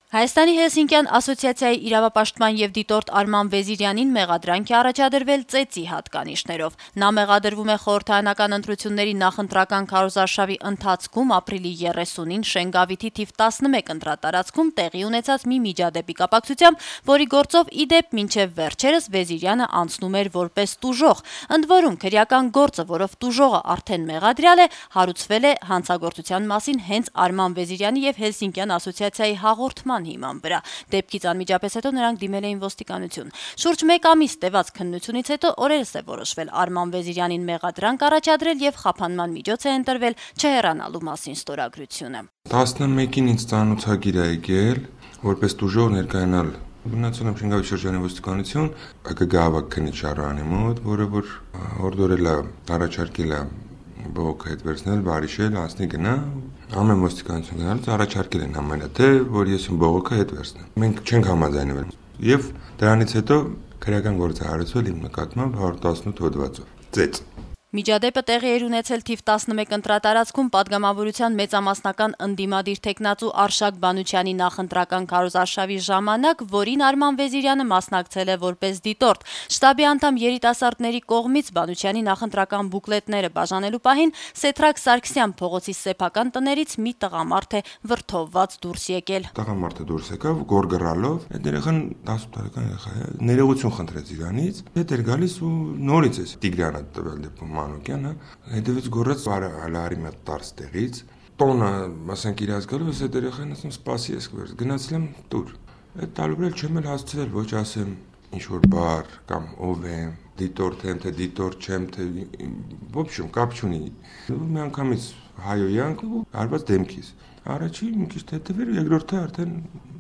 Հայաստանի Հելսինկյան ասոցիացիայի իրավապաշտպան եւ դիտորդ Արման Վեզիրյանին մեղադրանք է առաջադրվել ծեծի հատկանիշներով։ Նա մեղադրվում է խորհրդարանական ընտրությունների նախընտրական քարոզարշավի ընթացքում ապրիլի 30-ին Շենգավիթի թիվ 11 ընտրատարածքում տեղի ունեցած մի միջադեպի կապակցությամբ, որի գործով ի դեպ մինչև վերջերս Վեզիրյանը անցնում էր որպես տուժող։ Ընդ որում քրեական գործը, որով տուժողը արդեն մեղադրյալ է, հարուցվել է հանցագործության մասին հենց Արման Վեզիրյանի եւ Հելսինկյան ասոցիացիայի հաղորդման հիման վրա։ Դեպքից անմիջապես հետո նրանք դիմել էին ոստիկանություն։ Շուրջ 1 ամիս տևած քննությունից հետո օրերս է որոշվել Արման Վեզիրյանին մեղադրանք առաջադրել եւ խափանման միջոց է ընտրվել չհեռանալու մասին ստորագրությունը։ 11-ին ինձ ծանոթագիր է եկել, որպես տուժող ներկայանալ Գնացել եմ Շենգավիթ շրջանի ոստիկանություն, ԿԳ քննիչ Շարանի մոտ, որը որ օրդորել է, առաջարկել է բողոքը հետ վերցնել, բարիշել, անցնի գնա, ամեն ոստիկանություն գնալուց առաջարկել են համենա թե, որ ես բողոքը հետ վերցնեմ։ Մենք չենք համաձայնվել։ Եվ դրանից հետո քրեական գործ է հարուցվել իմ նկատմամբ 118 հոդվածով։ Ծեծ։ Միջադեպը տեղի էր ունեցել թիվ 11 ընտրատարածքում падգամավորության մեծամասնական ընդդիմադիր տեխնացու Արշակ Բանուչյանի նախընտրական քարոզարշավի ժամանակ, որին Արման Վեզիրյանը մասնակցել է որպես դիտորդ։ Շտաբի անդամ երիտասարդների կողմից Բանուչյանի նախընտրական բուկլետները բաժանելու պահին Սեթրակ Սարգսյան փողոցի սեփական տներից մի տղամարդ է վրդովված դուրս եկել։ Տղամարդը դուրս եկավ գորգռալով, այդ երեխան 18 տարեկան երեխա է, ներողություն խնդրեց իրանից, հետ էր գալիս ու նորից է Տիգրանը տվել դեպքում Մանուկյանը, հետևից գորած հարի մետ տարս տեղից, տոնը, ասենք իրաց գալու, ես այդ երեխային ասում սպասի ես կվերց, գնացել եմ տուր, այդ տալու էլ չեմ էլ հասցրել, ոչ ասեմ ինչ-որ բար կամ ով եմ, դիտորդ եմ, թե դիտորդ չեմ, թե ոբշում, կապ չունի, մի անգամից հայոյանք ու արված դեմքիս, առաջի մի քիչ հետևեր, երկրորդը արդեն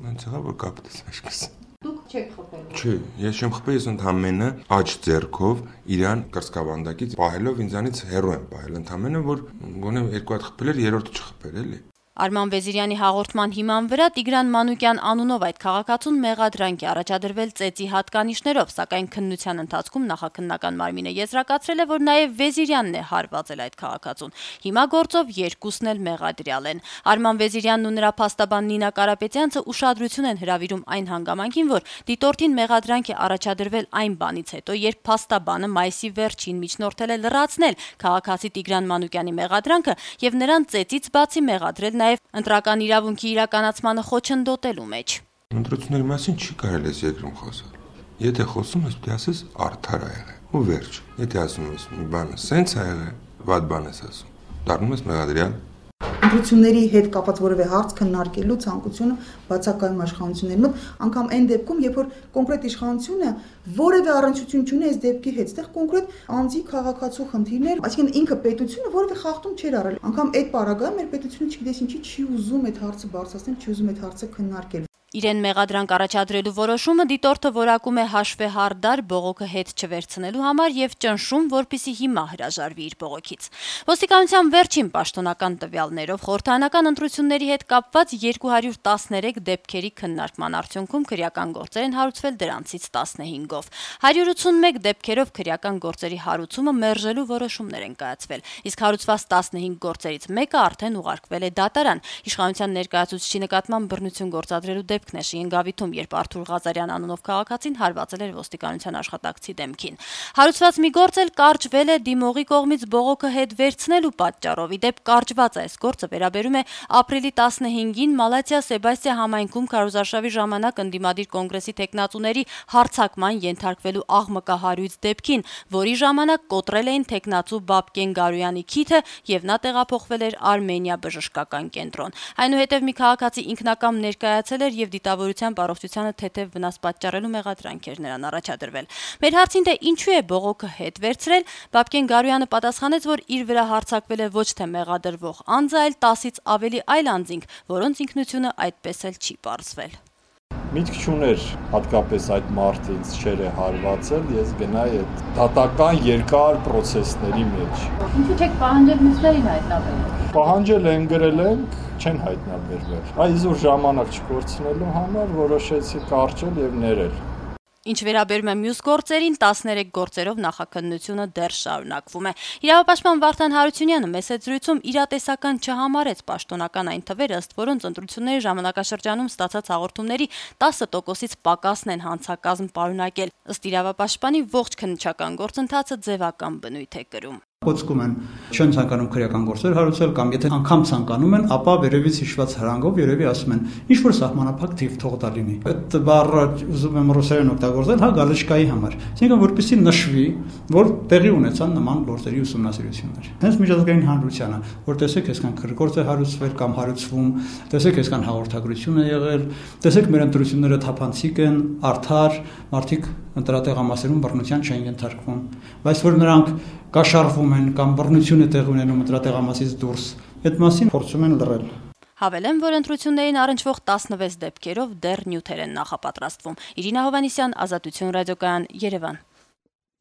հենց եղավ, որ կապտես աշկս։ Դուք չեք խփել։ Չէ, ես չեմ խփել, ես ընդամենը աջ ձեռքով իրան կրծքավանդակից պահելով ինձանից հեռու եմ պահել, ընդամենը որ գոնե 2 հատ խփել էր, երրորդը չխփել էլի։ Արման Վեզիրյանի հաղորդման հիման վրա Տիգրան Մանուկյան անունով այդ քաղաքացուն մեղադրանք է առաջադրվել ծեծի հատկանիշներով, սակայն քննության ընթացքում նախաքննական մարմինը եզրակացրել է, որ նաև Վեզիրյանն է հարվածել այդ քաղաքացուն։ Հիմա գործով երկուսն էլ մեղադրյալ են։ Արման Վեզիրյանն ու նրա փաստաբան Նինա Կարապետյանցը ուշադրություն են հրավիրում այն հանգամանքին, որ դիտորդին մեղադրանք է առաջադրվել այն բանից հետո, երբ փաստաբանը մայիսի վերջին միջնորդել է լրացնել քաղաքացի Տիգրան Մանուկյանի մեղադրանքը եւ նրան ծեծից բացի մեղադրել ընտրական իրավունքի իրականացմանը խոչընդոտելու մեջ։ Ընտրությունների մասին չի կարելի ես երկրում խոսել։ Եթե խոսում ես, պետք է ասես արդար ա եղել։ Ու վերջ։ Եթե ասում ես մի բանը սենց ա եղել, վատ բան ես ասում, դառնում ես մեղադրյալ։ Ընտրությունների հետ կապված որևէ հարց քննարկելու ցանկությունը բացակայում իշխանությունների մոտ, անգամ այն դեպքում, երբ որ կոնկրետ իշխանությունը որևէ առնչություն չունի այս դեպքի հետ, այդտեղ կոնկրետ անձի քաղաքացու խնդիրներ, այսինքն ինքը պետությունը որևէ խախտում չէր արել։ Անգամ այդ պարագայում մեր պետությունը չգիտես ինչի չի ուզում այդ հարցը բարձրացնել, չի ուզում այդ հարցը քննարկել։ Իրեն մեղադրանք առաջադրելու որոշումը դիտորդը որակում է հաշվեհարդար բողոքը հետ չվերցնելու համար եւ ճնշում, որպիսի հիմա հրաժարվի իր բողոքից։ Ոստիկանության վերջին պաշտոնական տվյալներով խորհրդարանական ընտրությունների հետ կապված 213 դեպքերի քննարկման արդյունքում քրեական գործեր են հարուցվել, դրանցից 15-ով։ 181 դեպքերով քրեական գործերի հարուցումը մերժելու որոշումներ են կայացվել, իսկ հարուցված 15 գործերից մեկը արդեն ուղարկվել է դատարան։ Իշխանության ներկայացուցիչի նկատմամբ բռնություն գործադրելու դեպքն է Շենգավիթում, երբ Արթուր Ղազարյան անունով քաղաքացին հարվածել էր ոստիկանության աշխատակցի դեմքին։ Հարուցված մի գործ էլ կարճվել է դիմողի կողմից բողոքը հետ վերցնելու պատճառով։ Ի դեպ կարճված այս գործը վերաբերում է ապրիլի 15-ին Մալաթիա Սեբաստիա համայնքում քարոզարշավի ժամանակ ընդդիմադիր կոնգրեսի տեխնացուների հարձակման ենթարկվելու աղմկահարույց դեպքին, որի ժամանակ կոտրել էին տեխնացու Բաբկեն Գարոյանի քիթը եւ նա տեղափոխվել էր Արմենիա բժշկական կենտրոն։ Այնուհետև մի քաղաքացի ինքնակամ ներկայացել էր եւ դիտավորության առողջությանը թեթև վնաս պատճառելու մեղադրանք էր նրան առաջադրվել։ Մեր հարցին թե ինչու է բողոքը հետ վերցրել, Բաբկեն Գարոյանը պատասխանեց, որ իր վրա հարձակվել է ոչ թե մեղադրվող անձը, այլ 10-ից ավելի այլ անձինք, որոնց ինքնությունը այդպես էլ չի պարզվել։ Միտք չուներ հատկապես այդ մարդը ինձ չէր հարվածել, ես գնայի այդ դատական երկար process-ների մեջ։ Ինչու՞ չեք պահանջել մյուսներին հայտնաբերել։ Պահանջել են, գրել ենք, չեն հայտնաբերվել։ Այսօր ժամանակ չկորցնելու համար որոշեցի կարճել եւ ներել։ Ինչ վերաբերում է մյուս գործերին, 13 գործերով նախաքննությունը դեռ շարունակվում է։ Իրավապաշտպան Վարդան Հարությունյանը մեծ զրույցում իրատեսական չհամարեց պաշտոնական այն թվերը, ըստ որոնց ընտրությունների ժամանակաշրջանում ստացած հաղորդումների 10%-ից պակասն են հանցակազմ պարունակել։ Ըստ իրավապաշտպանի ողջ քննչական գործընթացը ձևական բնույթ է կրում։ Խոսքում են չեն ցանկանում քրեական գործեր հարուցել կամ եթե անգամ ցանկանում են, ապա վերևից հիշված հրանգով երևի ասում են ինչ որ սահմանափակ թիվ թող դա լինի։ Այդ բառը ուզում եմ ռուսերեն օգտագործել, հա գալեշկայի համար։ Այսինքն որպեսզի նշվի, որ տեղի ունեցան նման գործերի ուսումնասիրություններ։ Հենց միջազգային հանրությանը, որ տեսեք այսքան գործ է հարուցվել կամ հարուցվում, տեսեք այսքան հաղորդագրություն է եղել, տեսեք մեր ընտրությունները թափանցիկ են, արդար, մարդիկ ընտրատեղամասերում բռնության չեն ենթարկվում, բայց որ նրանք կաշառվում են կամ բռնություն է տեղի ունենում ընտրատեղամասից դուրս, այդ մասին փորձում են լռել։ Հավելեմ, որ ընտրություններին առնչվող 16 դեպքերով դեռ նյութեր են նախապատրաստվում։ Իրինա Հովհաննիսյան, Ազատություն ռադիոկայան, Երևան։